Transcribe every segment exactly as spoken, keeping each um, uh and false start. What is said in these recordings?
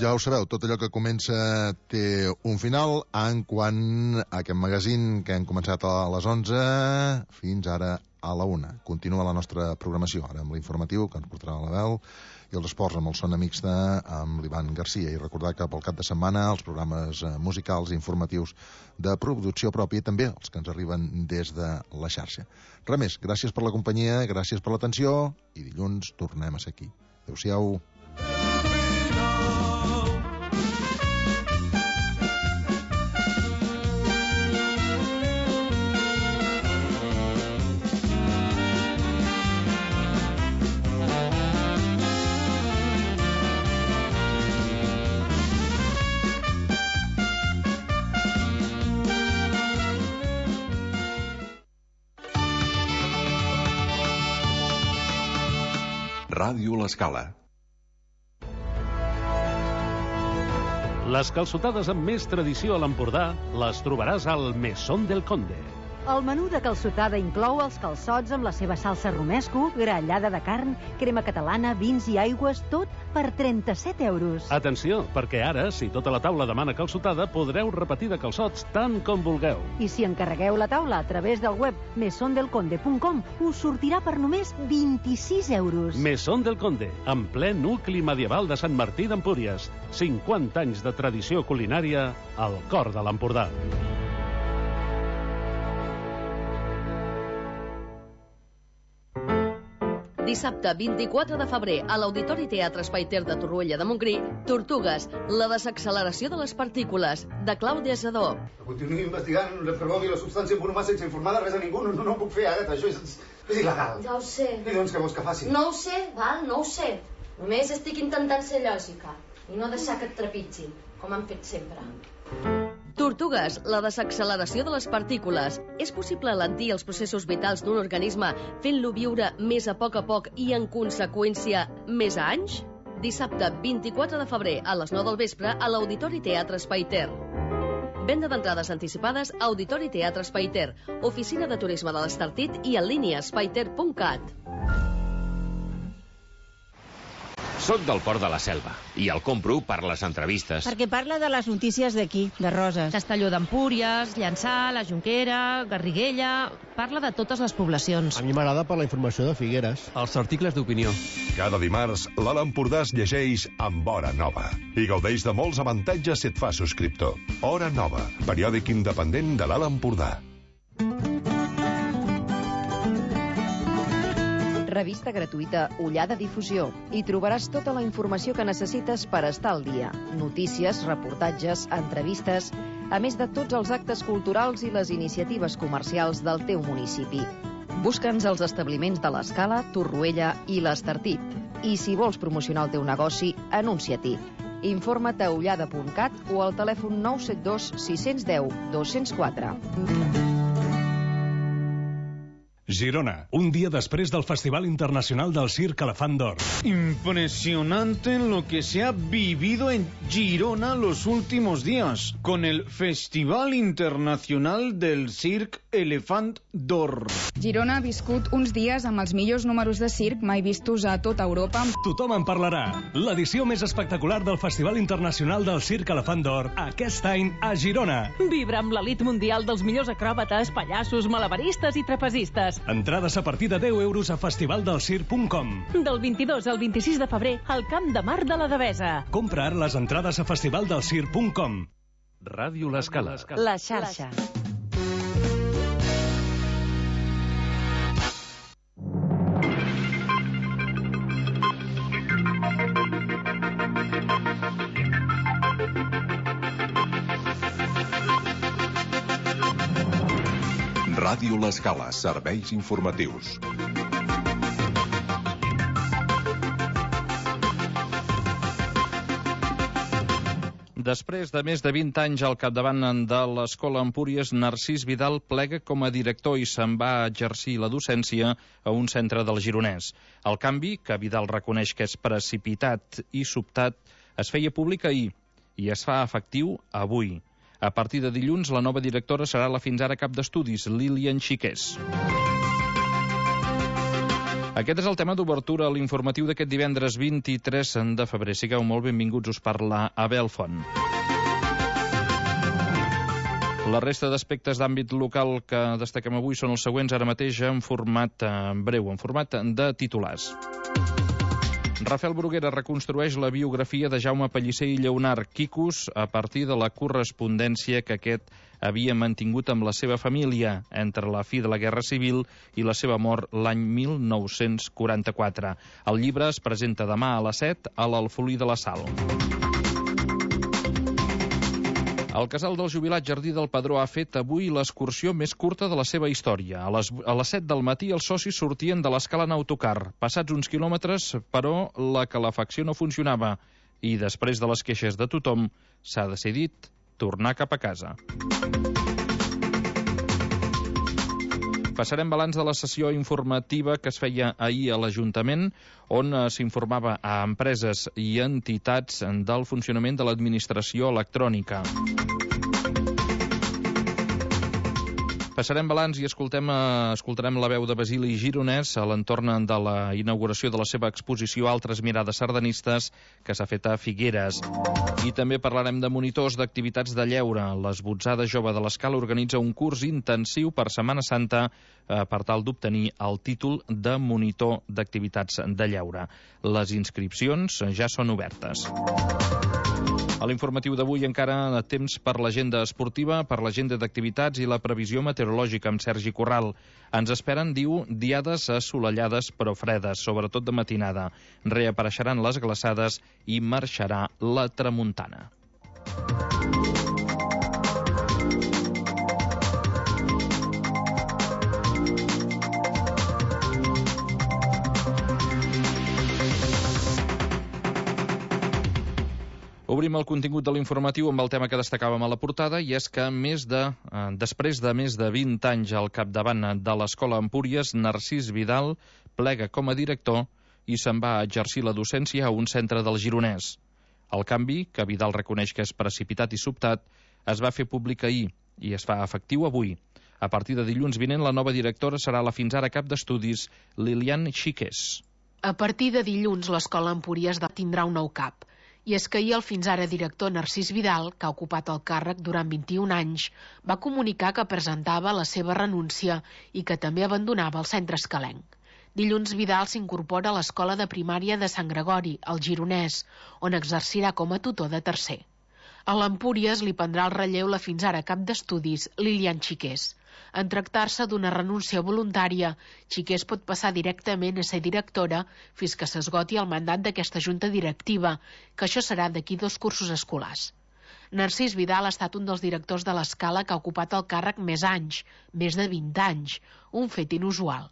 ja ho sabeu, tot allò que comença té un final, en quant a aquest magazín que hem començat a les onze fins ara a la una. Continua la nostra programació, ara amb l'informatiu, que ens portarà la veu, i els esports amb el Son Amics de, amb l'Ivan Garcia. I recordar que pel cap de setmana els programes musicals i informatius de producció pròpia, també els que ens arriben des de la xarxa. Res més, gràcies per la companyia, gràcies per l'atenció, i dilluns tornem a ser aquí. Adéu-siau. Ràdio L'Escala. Les calçotades amb més tradició a l'Empordà les trobaràs al Mesón del Conde. El menú de calçotada inclou els calçots amb la seva salsa romesco, grallada de carn, crema catalana, vins i aigües, tot per trenta-set euros. Atenció, perquè ara, si tota la taula demana calçotada, podreu repetir de calçots tant com vulgueu. I si encarregueu la taula a través del web mesón del conde punt com, us sortirà per només vint-i-sis euros. Mesón del Conde, en ple nucli medieval de Sant Martí d'Empúries. cinquanta anys de tradició culinària al cor de l'Empordà. Dissabte vint-i-quatre de febrer a l'Auditori Teatre Espai Ter de Torroella de Montgrí, Tortugues, la desacceleració de les partícules, de Clàudia Zadó. Continuï investigant, reprovi la substància en bromar sense informar de res a ningú. No, no ho puc fer, Agatha, això és, és il·legal. Ja ho sé. I doncs què vols que faci? No ho sé, val? No ho sé. Només estic intentant ser lògica i no deixar que et trepitgin, com han fet sempre. Tortugues, la desacceleració de les partícules. És possible alentir els processos vitals d'un organisme fent-lo viure més a poc a poc i, en conseqüència, més a anys? Dissabte vint-i-quatre de febrer a les nou del vespre a l'Auditori Teatre Espai Ter. Venda d'entrades anticipades a Auditori Teatre Espai Ter, Oficina de Turisme de l'Estartit i en línia espaiter punt cat. Soc del Port de la Selva i el compro per les entrevistes. Perquè parla de les notícies d'aquí, de Roses. Castelló d'Empúries, Llançà, la Jonquera, Garriguella... Parla de totes les poblacions. A mi m'agrada per la informació de Figueres. Els articles d'opinió. Cada dimarts, l'Alt Empordà es llegeix amb Hora Nova i gaudeix de molts avantatges si et fa subscriptor. Hora Nova, periòdic independent de l'Alt Empordà. Revista gratuïta Ullada Difusió. Hi trobaràs tota la informació que necessites per estar al dia. Notícies, reportatges, entrevistes, a més de tots els actes culturals i les iniciatives comercials del teu municipi. Busca'ns als establiments de l'Escala, Torroella i l'Estartit. I si vols promocionar el teu negoci, anuncia-t'hi. Informa't a ullada punt cat o al telèfon nou set dos sis un zero dos zero quatre. Girona, un día después del Festival Internacional del Circ Elefant d'Or. Impresionante lo que se ha vivido en Girona los últimos días, con el Festival Internacional del Circ Elefant d'Or. Girona ha viscut uns dies amb els millors números de circ mai vistos a tota Europa. Tothom en parlarà. L'edició més espectacular del Festival Internacional del Circ Elefant d'Or, aquest any a Girona. Vibra amb l'elit mundial dels millors acròbates, pallassos, malabaristes i trapezistes. Entrades a partir de deu euros a festivaldelcirc punt com. Del vint-i-dos al vint-i-sis de febrer al Camp de Mar de la Devesa. Compra ara les entrades a festivaldelcirc punt com. Ràdio L'Escala. La xarxa. Ràdio L'Escala, serveis informatius. Després de més de vint anys al capdavant de l'Escola Empúries, Narcís Vidal plega com a director i se'n va a exercir la docència a un centre del Gironès. El canvi, que Vidal reconeix que és precipitat i sobtat, es feia públic ahir i es fa efectiu avui. A partir de dilluns, la nova directora serà la fins ara cap d'estudis, Lilian Xiqués. Aquest és el tema d'obertura a l'informatiu d'aquest divendres vint-i-tres de febrer. Sigueu molt benvinguts, us parla Abel Font. La resta d'aspectes d'àmbit local que destaquem avui són els següents, ara mateix en format breu, en format de titulars. Rafael Bruguera reconstrueix la biografia de Jaume Pellicer i Lleonard Quicos a partir de la correspondència que aquest havia mantingut amb la seva família entre la fi de la Guerra Civil i la seva mort l'any mil nou-cents quaranta-quatre. El llibre es presenta demà a les set a l'Alfolí de la Sal. El casal del jubilat Jardí del Pedró ha fet avui l'excursió més curta de la seva història. A les, a les set del matí els socis sortien de l'escala en autocar. Passats uns quilòmetres, però, la calefacció no funcionava i després de les queixes de tothom s'ha decidit tornar cap a casa. Passarem balanç de la sessió informativa que es feia ahir a l'Ajuntament, on s'informava a empreses i entitats del funcionament de l'administració electrònica. Passarem balanç i escoltem, escoltarem la veu de Basili Gironès a l'entorn de la inauguració de la seva exposició Altres mirades sardanistes que s'ha fet a Figueres. I també parlarem de monitors d'activitats de lleure. L'Esbotzada Jove de l'Escala organitza un curs intensiu per Setmana Santa eh, per tal d'obtenir el títol de monitor d'activitats de lleure. Les inscripcions ja són obertes. A l'informatiu d'avui encara temps per l'agenda esportiva, per l'agenda d'activitats i la previsió meteorològica amb Sergi Corral. Ens esperen, diu, diades assolellades però fredes, sobretot de matinada. Reapareixeran les glaçades i marxarà la tramuntana. Obrim el contingut de l'informatiu amb el tema que destacàvem a la portada, i és que més de, eh, després de més de vint anys al capdavant de l'Escola Empúries, Narcís Vidal plega com a director i se'n va a exercir la docència a un centre del Gironès. El canvi, que Vidal reconeix que és precipitat i sobtat, es va fer públic ahir i es fa efectiu avui. A partir de dilluns vinent, la nova directora serà la fins ara cap d'estudis Lilian Xiqués. A partir de dilluns, l'Escola Empúries tindrà un nou cap. I és que ahir el fins ara director Narcís Vidal, que ha ocupat el càrrec durant vint-i-un anys, va comunicar que presentava la seva renúncia i que també abandonava el centre escalenc. Dilluns Vidal s'incorpora a l'Escola de Primària de Sant Gregori, al Gironès, on exercirà com a tutor de tercer. A l'Empúries li prendrà el relleu la fins ara cap d'estudis Lilian Xiqués. En tractar-se d'una renúncia voluntària, Xiqués pot passar directament a ser directora fins que s'esgoti el mandat d'aquesta junta directiva, que això serà d'aquí dos cursos escolars. Narcís Vidal ha estat un dels directors de l'Escala que ha ocupat el càrrec més anys, més de vint anys, un fet inusual.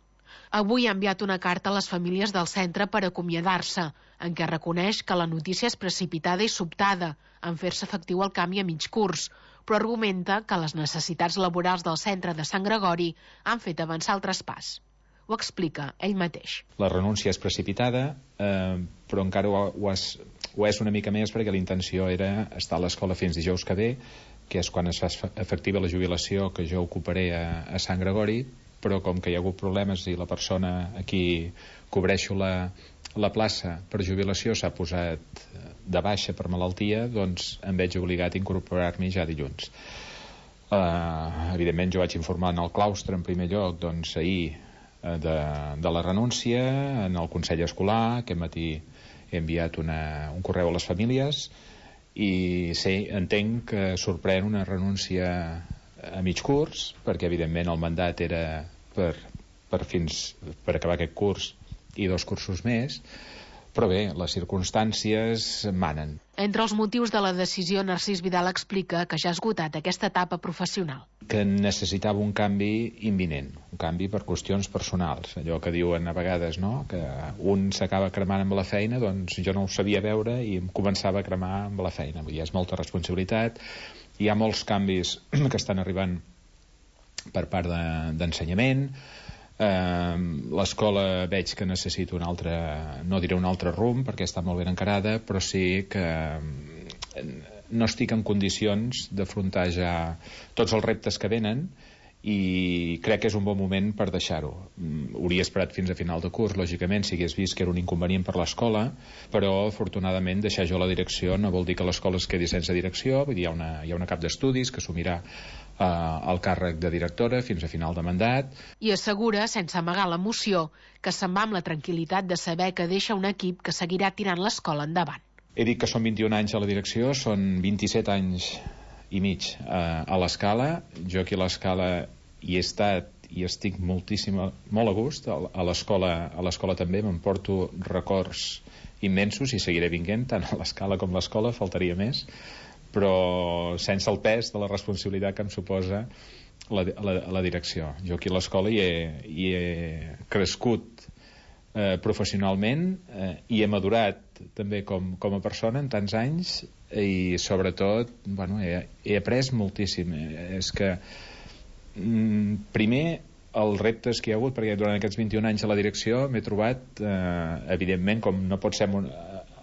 Avui ha enviat una carta a les famílies del centre per acomiadar-se, en què reconeix que la notícia és precipitada i sobtada, en fer-se efectiu el canvi a mig curs, però argumenta que les necessitats laborals del centre de Sant Gregori han fet avançar el traspàs. Ho explica ell mateix. La renúncia és precipitada, eh, però encara ho, ho, és, ho és una mica més perquè la intenció era estar a l'escola fins dijous que ve, que és quan es fa efectiva la jubilació que jo ocuparé a, a Sant Gregori, però com que hi ha hagut problemes i la persona a qui cobreixo la, la plaça per jubilació s'ha posat de baixa per malaltia, doncs em veig obligat a incorporar-m'hi ja dilluns. Uh, evidentment jo vaig informar en el claustre en primer lloc, doncs ahir de, de la renúncia, en el Consell Escolar. Aquest matí he enviat una, un correu a les famílies i sí, entenc que sorprèn una renúncia a mig curs, perquè evidentment el mandat era per, per, fins, per acabar aquest curs i dos cursos més, però bé, les circumstàncies manen. Entre els motius de la decisió, Narcís Vidal explica que ja ha esgotat aquesta etapa professional. Que necessitava un canvi imminent, un canvi per qüestions personals, allò que diuen a vegades, no?, que un s'acaba cremant amb la feina, doncs jo no ho sabia veure i em començava a cremar amb la feina. Vull dir, és molta responsabilitat, hi ha molts canvis que estan arribant per part de, d'ensenyament. Uh, l'escola veig que necessita un altre, no diré un altre rumb perquè està molt ben encarada, però sí que no estic en condicions d'afrontar ja tots els reptes que venen i crec que és un bon moment per deixar-ho. Hauria esperat fins a final de curs, lògicament, si hagués vist que era un inconvenient per l'escola, però afortunadament deixar jo la direcció no vol dir que l'escola es quedi sense direcció. Vull dir, hi ha una, hi ha una cap d'estudis que assumirà eh, el càrrec de directora fins a final de mandat. I assegura, sense amagar l'emoció, que se'n va amb la tranquil·litat de saber que deixa un equip que seguirà tirant l'escola endavant. He dit que són vint-i-un anys a la direcció, són vint-i-set anys i mig eh, a l'Escala. Jo aquí a l'Escala hi he estat i estic moltíssim, molt a gust. A l'escola a l'escola també m'emporto records immensos i seguiré vinguent tant a l'Escala com a l'escola, faltaria més, però sense el pes de la responsabilitat que em suposa la, la, la direcció. Jo aquí a l'escola hi, he, hi he crescut eh, professionalment eh, i he madurat també com, com a persona en tants anys, i sobretot bueno, he, he après moltíssim. És que mm, primer els reptes que hi ha hagut, perquè durant aquests vint-i-un anys a la direcció m'he trobat eh, evidentment, com no pot ser en,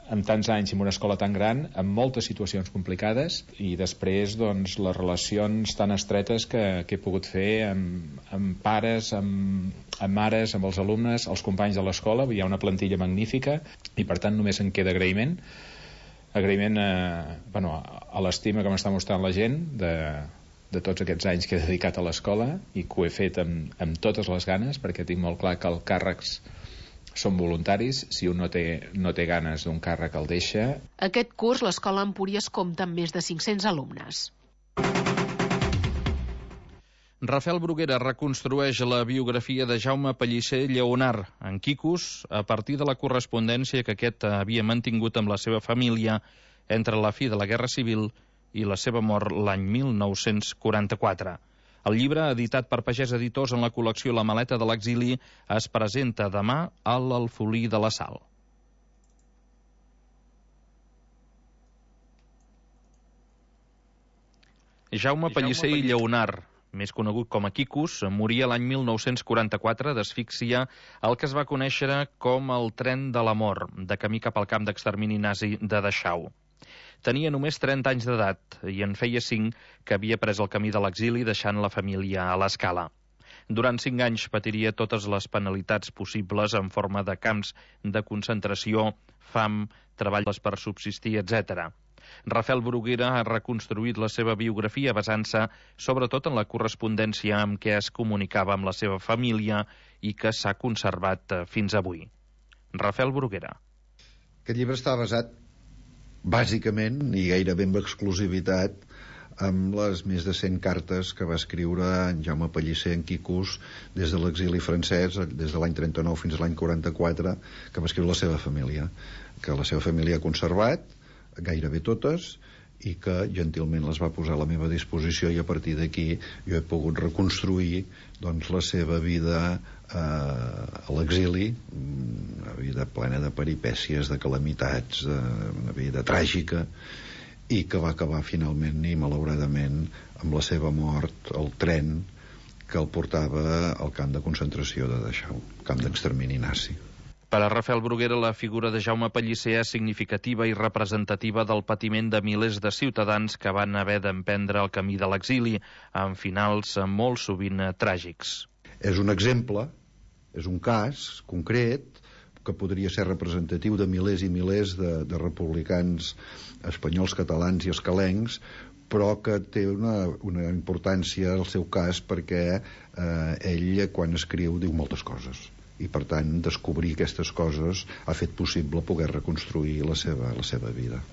en tants anys en una escola tan gran, amb moltes situacions complicades, i després doncs, les relacions tan estretes que, que he pogut fer amb, amb pares, amb, amb mares, amb els alumnes, els companys de l'escola. Hi ha una plantilla magnífica i per tant només en queda agraïment agraïment eh, bueno, a l'estima que m'està mostrant la gent de, de tots aquests anys que he dedicat a l'escola, i que ho he fet amb, amb totes les ganes, perquè tinc molt clar que els càrrecs són voluntaris. Si un no té, no té ganes d'un càrrec, el deixa. Aquest curs l'escola Empúries compta amb més de cinc-cents alumnes. Rafael Bruguera reconstrueix la biografia de Jaume Pellicer Lleonart en Quicos a partir de la correspondència que aquest havia mantingut amb la seva família entre la fi de la Guerra Civil i la seva mort l'any mil nou-cents quaranta-quatre. El llibre, editat per Pagès Editors en la col·lecció La maleta de l'exili, es presenta demà a l'Alfolí de la Sal. Jaume Pellicer i Lleonart, més conegut com a Quicos, moria l'any mil nou-cents quaranta-quatre d'asfíxia al que es va conèixer com el tren de la mort, de camí cap al camp d'extermini nazi de Dachau. Tenia només trenta anys d'edat i en feia cinc que havia pres el camí de l'exili deixant la família a l'Escala. Durant cinc anys patiria totes les penalitats possibles en forma de camps de concentració, fam, treballs per subsistir, etcètera. Rafael Bruguera ha reconstruït la seva biografia basant-se sobretot en la correspondència amb què es comunicava amb la seva família i que s'ha conservat fins avui. Rafael Bruguera. Aquest llibre està basat bàsicament i gairebé amb exclusivitat amb les més de cent cartes que va escriure en Jaume Pellicer en Quicos des de l'exili francès, des de l'any trenta-nou fins a l'any quaranta-quatre, que va escriure la seva família, que la seva família ha conservat gairebé totes, i que gentilment les va posar a la meva disposició, i a partir d'aquí jo he pogut reconstruir doncs, la seva vida eh, a l'exili, una vida plena de peripècies, de calamitats, de, una vida tràgica, i que va acabar finalment i malauradament amb la seva mort al tren que el portava al camp de concentració de Dachau, camp d'extermini nazi. Per a Rafael Bruguera, la figura de Jaume Pellicer és significativa i representativa del patiment de milers de ciutadans que van haver d'emprendre el camí de l'exili, amb finals molt sovint tràgics. És un exemple, és un cas concret, que podria ser representatiu de milers i milers de, de republicans espanyols, catalans i escalencs, però que té una, una importància al seu cas perquè eh, ell, quan escriu, diu moltes coses. I per tant descobrir aquestes coses ha fet possible poder reconstruir la seva, la seva vida.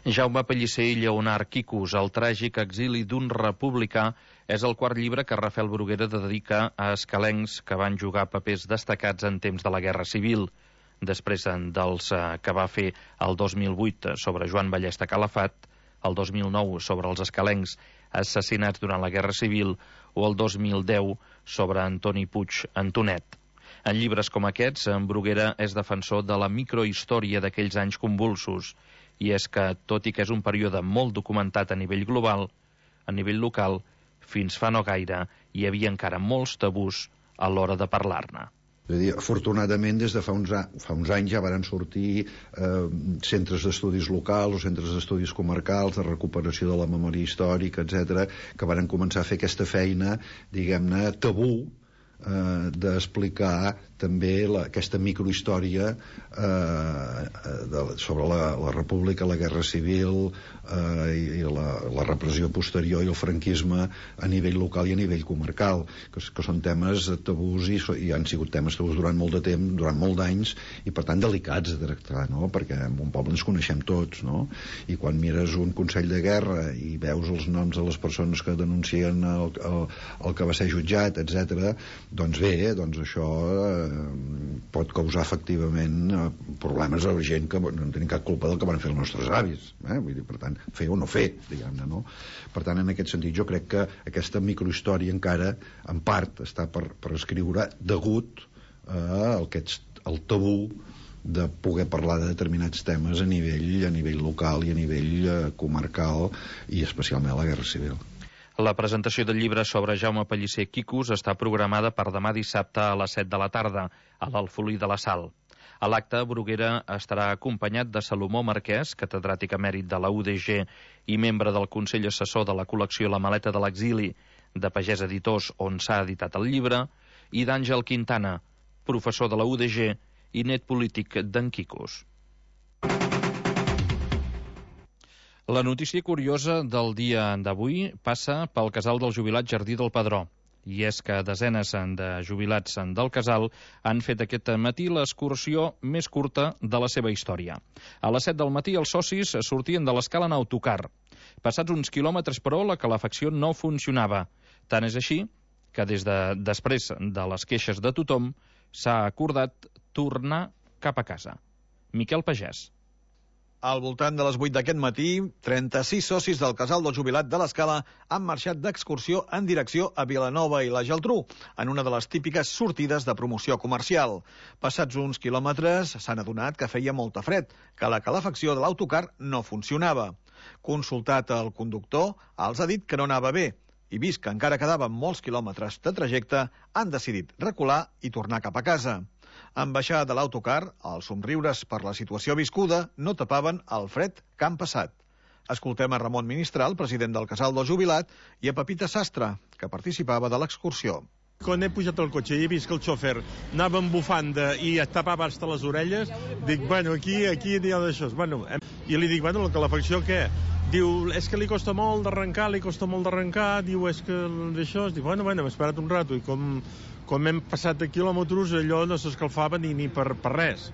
Jaume Pellicer i Lleonart Quicos, el tràgic exili d'un republicà, és el quart llibre que Rafael Bruguera dedica a escalencs que van jugar papers destacats en temps de la Guerra Civil. Després dels que va fer el dos mil vuit sobre Joan Ballesta Calafat, el dos mil nou sobre els escalencs assassinats durant la Guerra Civil o el dos mil deu sobre Antoni Puig Antonet. En llibres com aquests, en Bruguera és defensor de la microhistòria d'aquells anys convulsos, i és que, tot i que és un període molt documentat a nivell global, a nivell local, fins fa no gaire, hi havia encara molts tabús a l'hora de parlar-ne. És a dir, afortunadament, des de fa uns, fa uns anys ja varen sortir eh, centres d'estudis locals o centres d'estudis comarcals de recuperació de la memòria històrica, etcètera, que varen començar a fer aquesta feina, diguem-ne, tabú, eh, d'explicar també la, aquesta microhistòria eh, de, sobre la, la República, la Guerra Civil eh, i, i la, la repressió posterior i el franquisme a nivell local i a nivell comarcal, que, que són temes tabús i, i han sigut temes tabús durant molt de temps, durant molt d'anys, i per tant delicats de tractar, no? Perquè en un poble ens coneixem tots, no? I quan mires un Consell de Guerra i veus els noms de les persones que denuncien el, el, el que va ser jutjat, etcètera, doncs bé, doncs això eh, pot causar efectivament eh, problemes a la gent que no tenen cap culpa del que van fer els nostres avis, eh? Vull dir, per tant, fer o no fer, diguem-ne, no? Per tant, en aquest sentit, jo crec que aquesta microhistòria encara, en part, està per, per escriure degut eh, al que ets, el tabú de poder parlar de determinats temes a nivell, a nivell local i a nivell eh, comarcal, i especialment a la Guerra Civil. La presentació del llibre sobre Jaume Pellicer Quicos està programada per demà dissabte a les set de la tarda, a l'Alfolí de la Sal. A l'acte, Bruguera estarà acompanyat de Salomó Marquès, catedràtic emèrit de la U D G i membre del Consell Assessor de la col·lecció La Maleta de l'Exili, de Pagès Editors, on s'ha editat el llibre, i d'Àngel Quintana, professor de la U D G i net polític d'en Quicos. La notícia curiosa del dia d'avui passa pel casal del jubilat Jardí del Pedró. I és que desenes de jubilats del casal han fet aquest matí l'excursió més curta de la seva història. A les set del matí els socis sortien de l'escala en autocar. Passats uns quilòmetres, però, la calefacció no funcionava. Tant és així que des de després de les queixes de tothom s'ha acordat tornar cap a casa. Miquel Pagès. Al voltant de les vuit d'aquest matí, trenta-sis socis del casal del jubilat de l'Escala han marxat d'excursió en direcció a Vilanova i la Geltrú, en una de les típiques sortides de promoció comercial. Passats uns quilòmetres s'han adonat que feia molta fred, que la calefacció de l'autocar no funcionava. Consultat el conductor, els ha dit que no anava bé, i vist que encara quedaven molts quilòmetres de trajecte, han decidit recular i tornar cap a casa. En baixar de l'autocar, els somriures per la situació viscuda no tapaven el fred que han passat. Escoltem a Ramon Ministral, president del casal del jubilat, i a Pepita Sastre, que participava de l'excursió. Quan he pujat al cotxe i he vist que el xòfer anava amb bufanda i es tapava fins a les orelles, dic, bueno, aquí aquí n'hi ha d'això. Bueno, i li dic, bueno, la calefacció què? Diu, és que li costa molt d'arrencar, li costa molt d'arrencar, diu, és que d'això... Dic, bueno, bueno, hem esperat un rato, i com, com hem passat de quilòmetres, allò no s'escalfava ni, ni per, per res.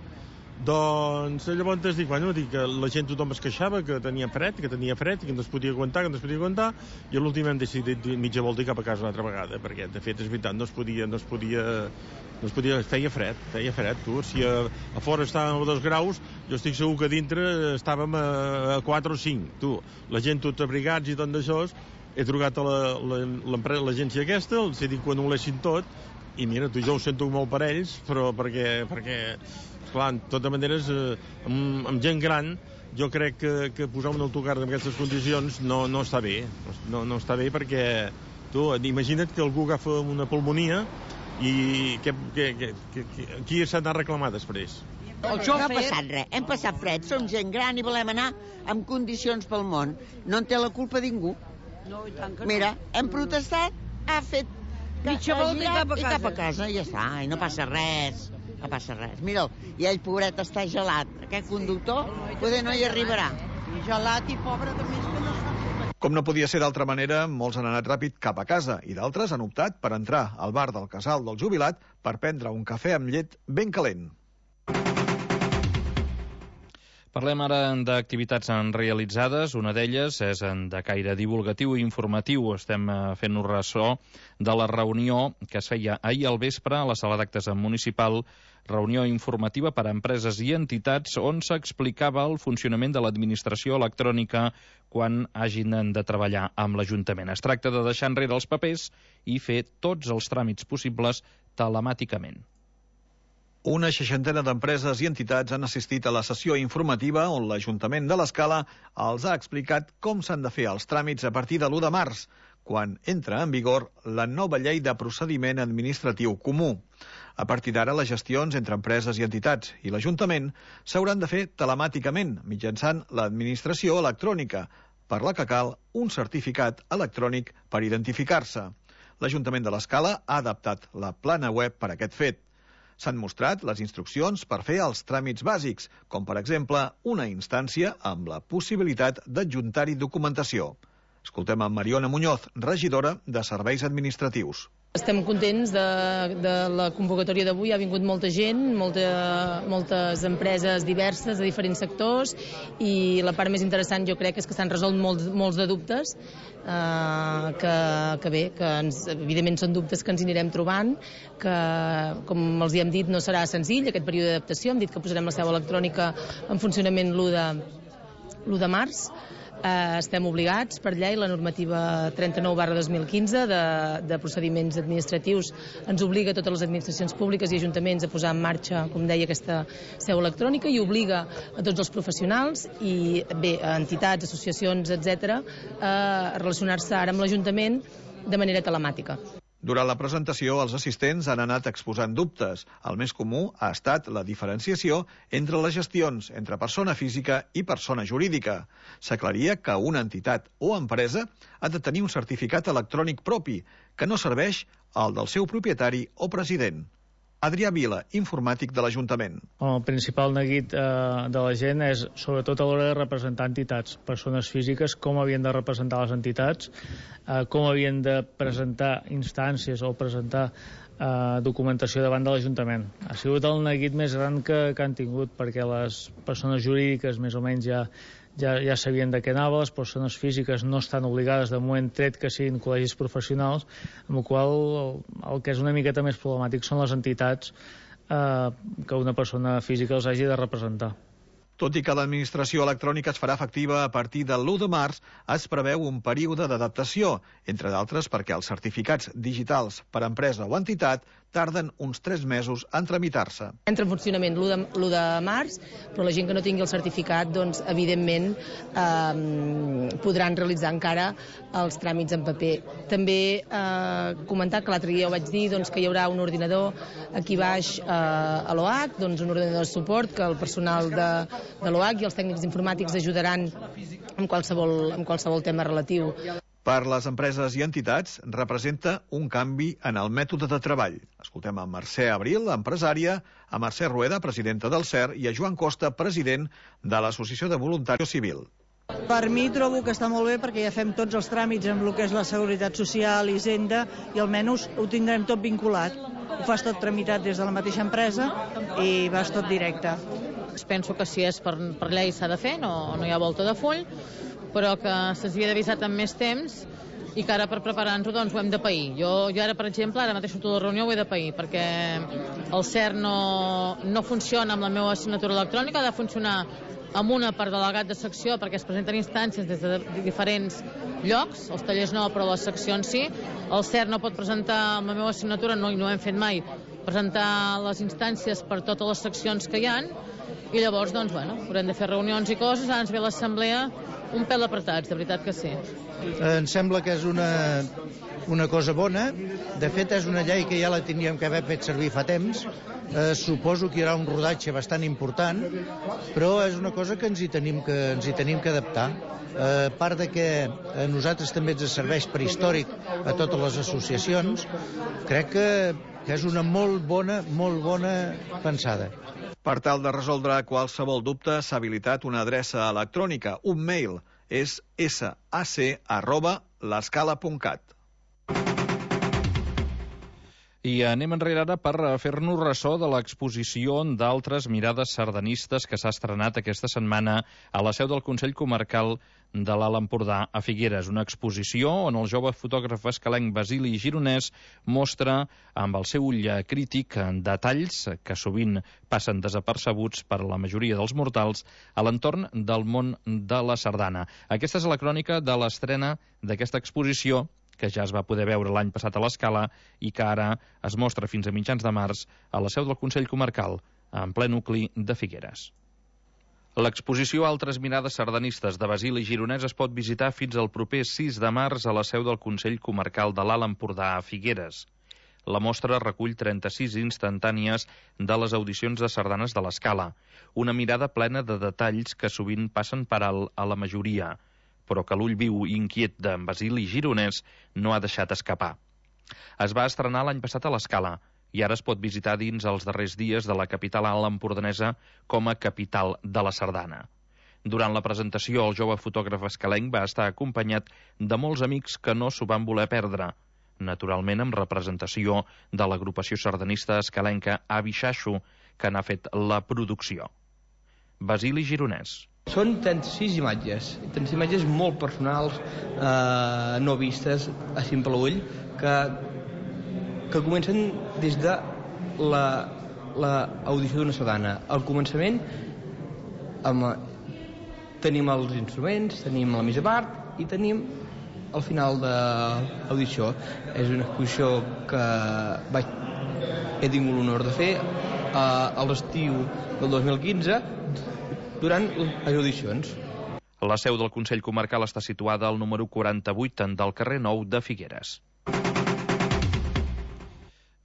Doncs llavors dic, bueno, dic que la gent tothom es queixava que tenia fred, que tenia fred, que no es podia aguantar, que no es podia aguantar, i a l'últim hem decidit mitja volta i cap a casa una altra vegada, perquè de fet és veritat, no es podia, no es podia, no es podia, feia fred, feia fred, tu, si a, a fora estàvem a dos graus, jo estic segur que dintre estàvem a, a quatre o cinc, tu, la gent tot abrigats i tot d'això, he trucat a l'agència aquesta, els he dit que ho anul·lessin tot, i mira, tu jo ho sento molt per ells, però perquè, perquè clar, de totes maneres, eh, amb, amb gent gran, jo crec que, que posar un autocar en aquestes condicions no, no està bé. No, no està bé perquè, tu, imagina't que algú agafa una pulmonia i que, que, que, que, que, qui s'ha d'anar a reclamar després? El xofer... No ha passat res, hem passat fred, som gent gran i volem anar en condicions pel món. No en té la culpa ningú. No, i tant que no. Mira, hem protestat, ha fet mitja volta i cap a casa. I cap a casa, i ja està, i no passa res. No passa res. Mira'l, i ell, pobret, està gelat. Aquest conductor poder no hi arribarà. I gelat i pobre de més que no sap. Com no podia ser d'altra manera, molts han anat ràpid cap a casa i d'altres han optat per entrar al bar del casal del jubilat per prendre un cafè amb llet ben calent. Parlem ara d'activitats realitzades. Una d'elles és de caire divulgatiu i informatiu. Estem fent un ressò de la reunió que es feia ahir al vespre a la sala d'actes municipal, reunió informativa per a empreses i entitats on s'explicava el funcionament de l'administració electrònica quan hagin de treballar amb l'Ajuntament. Es tracta de deixar enrere els papers i fer tots els tràmits possibles telemàticament. Una seixantena d'empreses i entitats han assistit a la sessió informativa on l'Ajuntament de l'Escala els ha explicat com s'han de fer els tràmits a partir de l'u de març, quan entra en vigor la nova llei de procediment administratiu comú. A partir d'ara, les gestions entre empreses i entitats i l'Ajuntament s'hauran de fer telemàticament, mitjançant l'administració electrònica, per la que cal un certificat electrònic per identificar-se. L'Ajuntament de l'Escala ha adaptat la plana web per a aquest fet. S'han mostrat les instruccions per fer els tràmits bàsics, com per exemple una instància amb la possibilitat d'adjuntar-hi documentació. Escoltem a Mariona Muñoz, regidora de Serveis Administratius. Estem contents de, de la convocatòria d'avui. Ha vingut molta gent, molta, moltes empreses diverses de diferents sectors, i la part més interessant jo crec és que s'han resolt molts, molts de dubtes, eh, que, que bé, que ens, evidentment són dubtes que ens hi anirem trobant, que com els hi hem dit no serà senzill aquest període d'adaptació. Hem dit que posarem la seu electrònica en funcionament l'u de, l'u de març. Eh, estem obligats per llei, la normativa trenta-nou barra dos mil quinze de, de procediments administratius ens obliga a totes les administracions públiques i ajuntaments a posar en marxa, com deia, aquesta seu electrònica, i obliga a tots els professionals i bé, a entitats, associacions, etcètera, a relacionar-se ara amb l'Ajuntament de manera telemàtica. Durant la presentació, els assistents han anat exposant dubtes. El més comú ha estat la diferenciació entre les gestions entre persona física i persona jurídica. S'aclaria que una entitat o empresa ha de tenir un certificat electrònic propi, que no serveix al del seu propietari o president. Adrià Vila, informàtic de l'Ajuntament. El principal neguit eh, de la gent és, sobretot a l'hora de representar entitats, persones físiques, com havien de representar les entitats, eh, com havien de presentar instàncies o presentar eh, documentació davant de l'Ajuntament. Ha sigut el neguit més gran que, que han tingut, perquè les persones jurídiques més o menys ja ja, ja sabien de què anava, les persones físiques no estan obligades de moment, tret que siguin col·legis professionals, amb el qual el, el que és una miqueta més problemàtic són les entitats eh, que una persona física els hagi de representar. Tot i que l'administració electrònica es farà efectiva a partir de l'u de març, es preveu un període d'adaptació, entre d'altres perquè els certificats digitals per empresa o entitat tarden uns tres mesos en tramitar-se. Entra en funcionament l'u de, l'u de març, però la gent que no tingui el certificat, doncs, evidentment, eh, podran realitzar encara els tràmits en paper. També eh, comentar que l'altre dia ho vaig dir, doncs, que hi haurà un ordinador aquí baix eh, a l'O H, doncs, un ordinador de suport que el personal de, de l'O H i els tècnics informàtics ajudaran en qualsevol, en qualsevol tema relatiu. Per les empreses i entitats representa un canvi en el mètode de treball. Escoltem a Mercè Abril, empresària, a Mercè Rueda, presidenta del C E R, i a Joan Costa, president de l'Associació de Voluntaris Civil. Per mi trobo que està molt bé perquè ja fem tots els tràmits amb el que és la Seguretat Social, Hisenda, i almenys ho tindrem tot vinculat. Ho fas tot tramitat des de la mateixa empresa i vas tot directe. Penso que si és per, per llei s'ha de fer, no, no hi ha volta de full, però que se'ns havia d'avisar amb més temps i que ara per preparar-nos doncs ho hem de pair. Jo, jo ara, per exemple, ara mateix surto de la reunió ho he de pair, perquè el C E R no, no funciona amb la meva assignatura electrònica, ha de funcionar amb una per delegat de secció, perquè es presenten instàncies des de diferents llocs, els tallers no, però les seccions sí. El C E R no pot presentar amb la meva assignatura, no, i no ho hem fet mai, presentar les instàncies per totes les seccions que hi ha, i llavors, doncs, bueno, haurem de fer reunions i coses, ara ens ve l'assemblea un pèl apretats, de veritat que sí. Em sembla que és una, una cosa bona. De fet, és una llei que ja la teníem que haver fet servir fa temps. Eh, suposo que hi haurà un rodatge bastant important, però és una cosa que ens hi tenim que, ens hi tenim que adaptar. Eh, a part de que a nosaltres també ens serveix per històric a totes les associacions, crec que, que és una molt bona, molt bona pensada. Per tal de resoldre qualsevol dubte, s'ha habilitat una adreça electrònica, un mail, és sac arroba l'escala punt cat. I anem enrere ara per fer-nos ressò de l'exposició d'altres mirades sardanistes que s'ha estrenat aquesta setmana a la seu del Consell Comarcal de l'Alt Empordà a Figueres. Una exposició on el jove fotògraf escalenc Basili Gironès mostra amb el seu ull crític detalls que sovint passen desapercebuts per a la majoria dels mortals a l'entorn del món de la sardana. Aquesta és la crònica de l'estrena d'aquesta exposició, que ja es va poder veure l'any passat a l'Escala i que ara es mostra fins a mitjans de març a la seu del Consell Comarcal, en ple nucli de Figueres. L'exposició Altres mirades sardanistes de Basil i Gironès es pot visitar fins al proper sis de març a la seu del Consell Comarcal de l'Alt Empordà a Figueres. La mostra recull trenta-sis instantànies de les audicions de sardanes de l'Escala, una mirada plena de detalls que sovint passen per alt a la majoria, però que l'ull viu i inquiet d'en Basil i Gironès no ha deixat escapar. Es va estrenar l'any passat a l'Escala i ara es pot visitar dins els darrers dies de la capital alt empordanesa com a capital de la sardana. Durant la presentació, el jove fotògraf escalenc va estar acompanyat de molts amics que no s'ho van voler perdre, naturalment amb representació de l'agrupació sardanista escalenca Avi Xaxo, que n'ha fet la producció. Basil i Gironès. Són trenta-sis imatges, trenta-sis imatges molt personals, eh, no vistes a simple ull, que, que comencen des de l'audició d'una sardana. Al començament amb, tenim els instruments, tenim la missa part i tenim al final de l'audició. És una exposició que vaig, he tingut l'honor de fer eh, a l'estiu del dos mil quinze durant les audicions. La seu del Consell Comarcal està situada al número quaranta-vuit del carrer Nou de Figueres.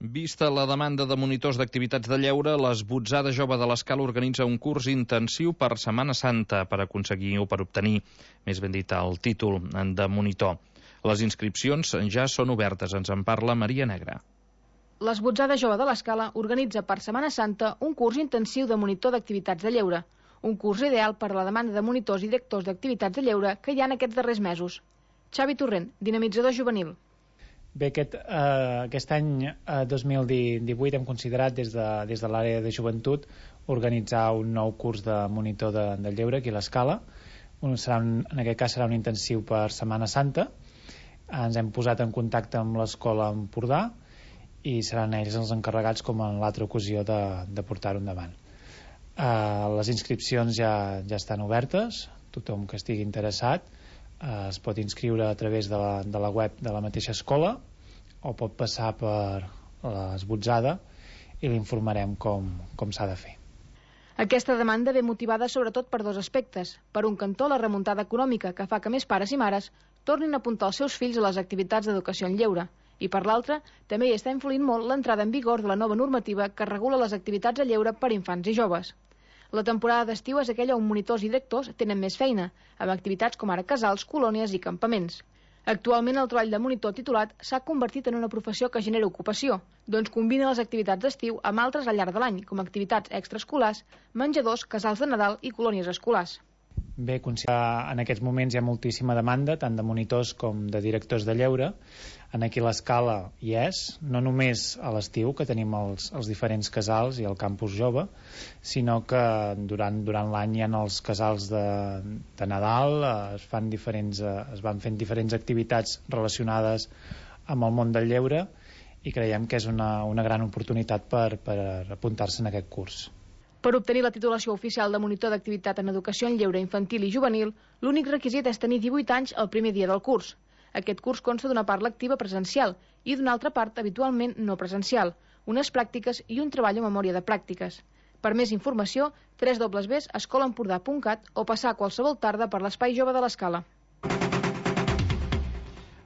Vista la demanda de monitors d'activitats de lleure, l'Esbotzada Jove de l'Escala organitza un curs intensiu per Setmana Santa per aconseguir o per obtenir, més ben dit, el títol de monitor. Les inscripcions ja són obertes, ens en parla Maria Negra. L'Esbotzada Jove de l'Escala organitza per Setmana Santa un curs intensiu de monitor d'activitats de lleure, un curs ideal per a la demanda de monitors i directors d'activitats de lleure que hi ha en aquests darrers mesos. Xavi Torrent, dinamitzador juvenil. Bé, aquest, eh, aquest any eh, dos mil divuit hem considerat des de, des de l'àrea de joventut organitzar un nou curs de monitor de, de lleure aquí a l'Escala. Un, serà un, en aquest cas serà un intensiu per Setmana Santa. Ens hem posat en contacte amb l'Escola Empordà i seran ells els encarregats, com en l'altra ocasió, de, de portar-ho endavant. Eh, les inscripcions ja, ja estan obertes, tothom que estigui interessat eh, es pot inscriure a través de la, de la web de la mateixa escola o pot passar per l'Esbotzada i l'informarem com, com s'ha de fer. Aquesta demanda ve motivada sobretot per dos aspectes. Per un cantó, la remuntada econòmica, que fa que més pares i mares tornin a apuntar els seus fills a les activitats d'educació en lleure. I per l'altre, també hi està influint molt l'entrada en vigor de la nova normativa que regula les activitats a lleure per infants i joves. La temporada d'estiu és aquella on monitors i directors tenen més feina, amb activitats com ara casals, colònies i campaments. Actualment el treball de monitor titulat s'ha convertit en una professió que genera ocupació, doncs combina les activitats d'estiu amb altres al llarg de l'any, com activitats extraescolars, menjadors, casals de Nadal i colònies escolars. Bé, en aquests moments hi ha moltíssima demanda, tant de monitors com de directors de lleure. En aquí l'Escala hi és, no només a l'estiu, que tenim els, els diferents casals i el campus jove, sinó que durant, durant l'any hi ha els casals de, de Nadal, es, fan diferents, es van fent diferents activitats relacionades amb el món del lleure i creiem que és una, una gran oportunitat per, per apuntar-se en aquest curs. Per obtenir la titulació oficial de monitor d'activitat en educació en lleure infantil i juvenil, l'únic requisit és tenir divuit anys el primer dia del curs. Aquest curs consta d'una part lectiva presencial i d'una altra part habitualment no presencial, unes pràctiques i un treball o memòria de pràctiques. Per més informació, w w w punt escola empordà punt cat o passar qualsevol tarda per l'Espai Jove de l'Escala.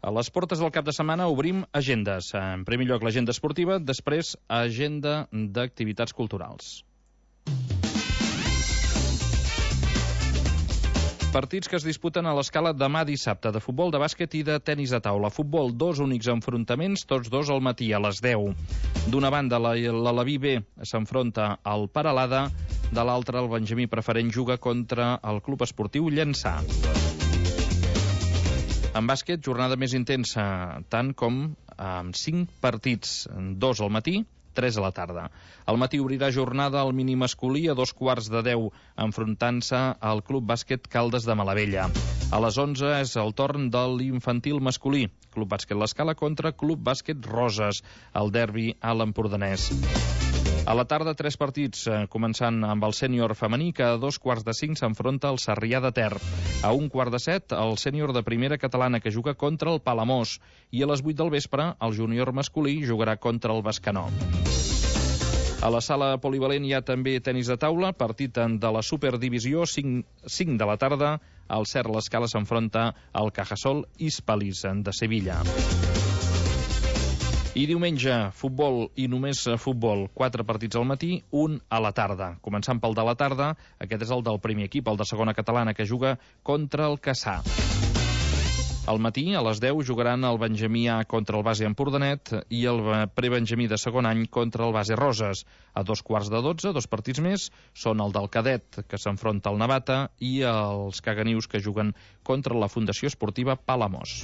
A les portes del cap de setmana obrim agendes. En primer lloc, l'agenda esportiva, després, agenda d'activitats culturals. Partits que es disputen a l'Escala demà dissabte, de futbol, de bàsquet i de tenis de taula. Futbol, dos únics enfrontaments, tots dos al matí, a les deu. D'una banda, l'Alaví B s'enfronta al Peralada, de l'altra, el Benjamí Preferent juga contra el Club Esportiu Llançà. En bàsquet, jornada més intensa, tant com amb cinc partits, dos al matí, tres a la tarda. Al matí obrirà jornada al mini masculí a dos quarts de deu, enfrontant-se al Club Bàsquet Caldes de Malavella. A les onze és el torn de l'infantil masculí, Club Bàsquet l'Escala contra Club Bàsquet Roses, el derbi a l'Empordanès. A la tarda, tres partits, començant amb el sènior femení, que a dos quarts de cinc s'enfronta al Sarrià de Ter. A un quart de set, el sènior de primera catalana, que juga contra el Palamós. I a les vuit del vespre, el júnior masculí jugarà contra el Bescanó. A la sala polivalent hi ha també tenis de taula, partit de la Superdivisió, cinc de la tarda. El Cerro l'Escala s'enfronta al Cajasol Hispalis de Sevilla. I diumenge, futbol i només futbol. Quatre partits al matí, un a la tarda. Començant pel de la tarda, aquest és el del primer equip, el de segona catalana, que juga contra el Cassà. Al matí, a les deu, jugaran el Benjamí A contra el base Empordanet i el prebenjamí de segon any contra el base Roses. A dos quarts de dotze, dos partits més, són el del cadet, que s'enfronta al Navata, i els caganius, que juguen contra la Fundació Esportiva Palamós.